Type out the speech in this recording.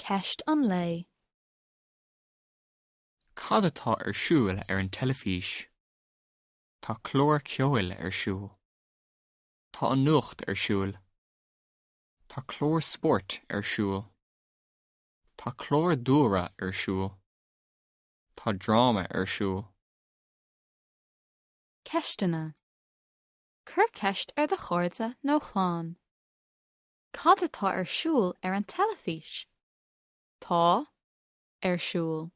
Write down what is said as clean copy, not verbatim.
Ceist an lae. Cad atá ar siúl ar an teilifís? Tá clár ceoil ar siúl. Tá an nuacht ar siúl. Tá clár spóirt ar siúl. Tá clár dúlra ar siúl. Tá dráma ar siúl. Ceisteanna. Cuir ceist ar do chairde nó chlann. Cad atá ar siúl ar an teilifís? Tá. Ar siúl.